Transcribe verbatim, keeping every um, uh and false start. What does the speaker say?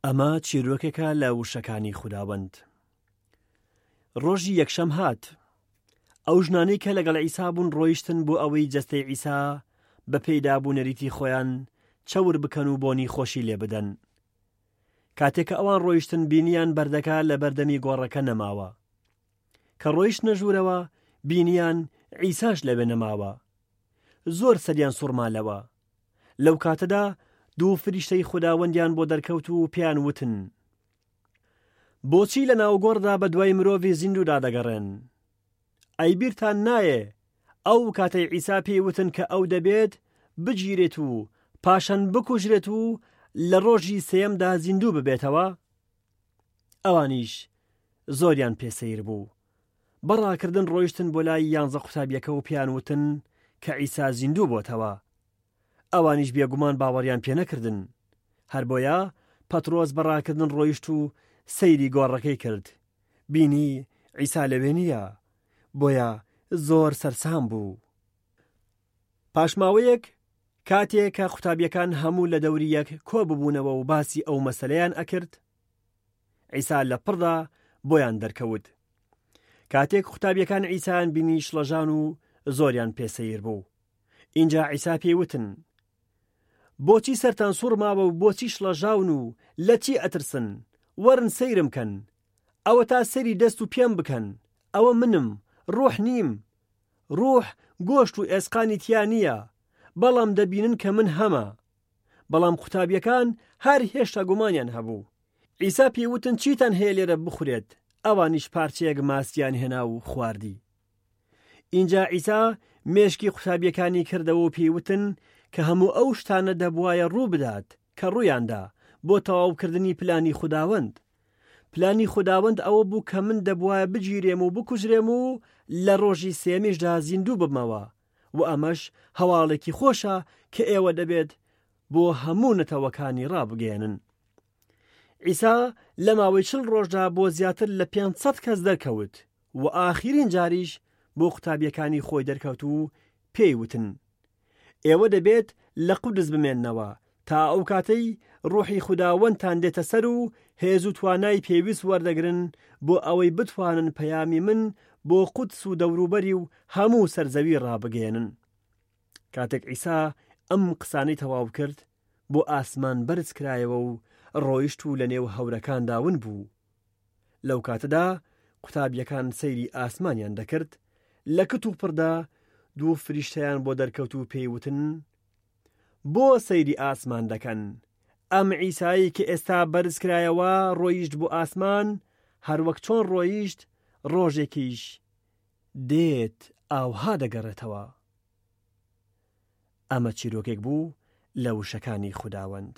ئەمە چیرۆکێکە لە وشەکانی خوداوەند. ڕۆژی یەکشەم هات. ئەو ژنانەی کە لەگەڵ عیسا بوون ڕۆیشتن بۆ ئەوەی جەستەی عیسا بە پێی دابوو نەریتی خۆیان چەور بکەن و بۆنی خۆشی لێ بدەن. کاتێک کە ئەوان ڕۆیشتن بینیان بەردەکە لە بەردەمی گۆڕەکە نەماوە. کە ڕۆیشتنە ژوورەوە بینیان عیساش لەوێ نەماوە. زۆر سەریان سوڕما لەوە. لەو کاتەدا دوو فریشتەی خوداوەندیان بۆ دەرکەوت و پێیان وتن: بۆچی لە ناوگۆڕدا بە دوای مرۆڤی زیندوودا دەگەڕێن؟ ئەی بیرتان نایە ئەو کاتەی عیسا پێی وتن کە ئەو دەبێت بگیرێت و پاشان بکوژرێت و لە ڕۆژی سێیەمدا زیندوو ببێتەوە؟ ئەوانیش زۆریان پێ سەیر بوو. بەڕاکردن ڕۆیشتن بۆ لای یانزە قوتابیەکە و پێیان وتن کە عیسا زیندوو بۆتەوە. ئەوانیش بێگومان باوەڕیان پێ نەکردن. هەر بۆیە پەترۆس بەڕاکردن ڕۆیشت و سەیری گۆڕەکەی کرد. بینی عیسا لەوێ نییە، بۆیە زۆر سەرسام بوو. پاشماوەیەک کاتێک کە قوتابیەکان هەموو لە دەوری یەک کۆ ببوونەوە و باسی ئەو مەسەلەیان ئەکرد، عیسا لە پڕدا بۆیان دەرکەوت. کاتێک قوتابیەکان عیسایان بینی شڵەژان و زۆریان پێ سەیر بوو. ئینجا عیسا پێی وتن: بۆچی سەرتان سوڕ ماوە و بۆچی شڵەژاون و لە چی ئەترسن؟ وەرن سەیرم کەن. ئەوە تا سەری دەست و پێم بکەن. ئەوە منم، ڕوح نیم. ڕوح گۆشت و ئێسقانی تیا نییە، بەڵام دەبینن کە من هەمە. بەڵام قوتابیەکان هەر هێشتا گومانیان هەبوو. عیسا پێی وتن چیتان هەیە لێرە بخورێت؟ ئەوانیش پارچەیەک ماسیان هێنا و خواردی. ئینجا عیسا مێشکی قوتابیەکانی کردەوە و پێی وتن کە هەموو ئەو شتانە دەبوایە ڕوو بدات کە ڕوویاندا بۆ تەواوکردنی پلانی خوداوەند. پلانی خوداوەند ئەوە بوو کە من دەبوایە بگیرێم و بکوژرێم و لە ڕۆژی سێمیشدا زیندوو ببمەوە و ئەمەش هەواڵێکی خۆشە کە ئێوە دەبێت بۆ هەموو نەتەوەکانی ڕابگەیەنن. عیسا لە ماوەی چل ڕۆژدا بۆ زیاتر لە پێنج سەد کەس دەرکەوت و ئاخیرین جاریش بۆ قوتابیەکانی خۆی دەرکەوت و پێی وتن: ئێوە دەبێت لە قودس بمێننەوە تا ئەو کاتەی ڕوحی خوداوەندتان دێتە سەر و هێز و توانای پێویست وەردەگرن بۆ ئەوەی بتوانن پەیامی من بۆ قودس و دەوروبەری و هەموو سەرزەوی ڕابگەیەنن. کاتێک عیسا ئەم قسانەی تەواو کرد، بۆ ئاسمان بەرز کرایەوە و ڕۆیشت و لە نێو هەورەکاندا ون بوو. لەو کاتەدا قوتابیەکان سەیری ئاسمانیان دەکرد، لە کت و پڕدا دوو فریشتەیان بۆ دەرکەوت و پێی وتن: بۆ سەیری ئاسمان دەکەن؟ ئەم عیسایی کە ئێستا بەرز کرایەوە ڕۆیشت بۆ ئاسمان، هەروەک چۆن ڕۆیشت ڕۆژێکیش دێت ئاوها دەگەڕێتەوە. ئەمە چیرۆکێک بوو لە وشەکانی خوداوەند.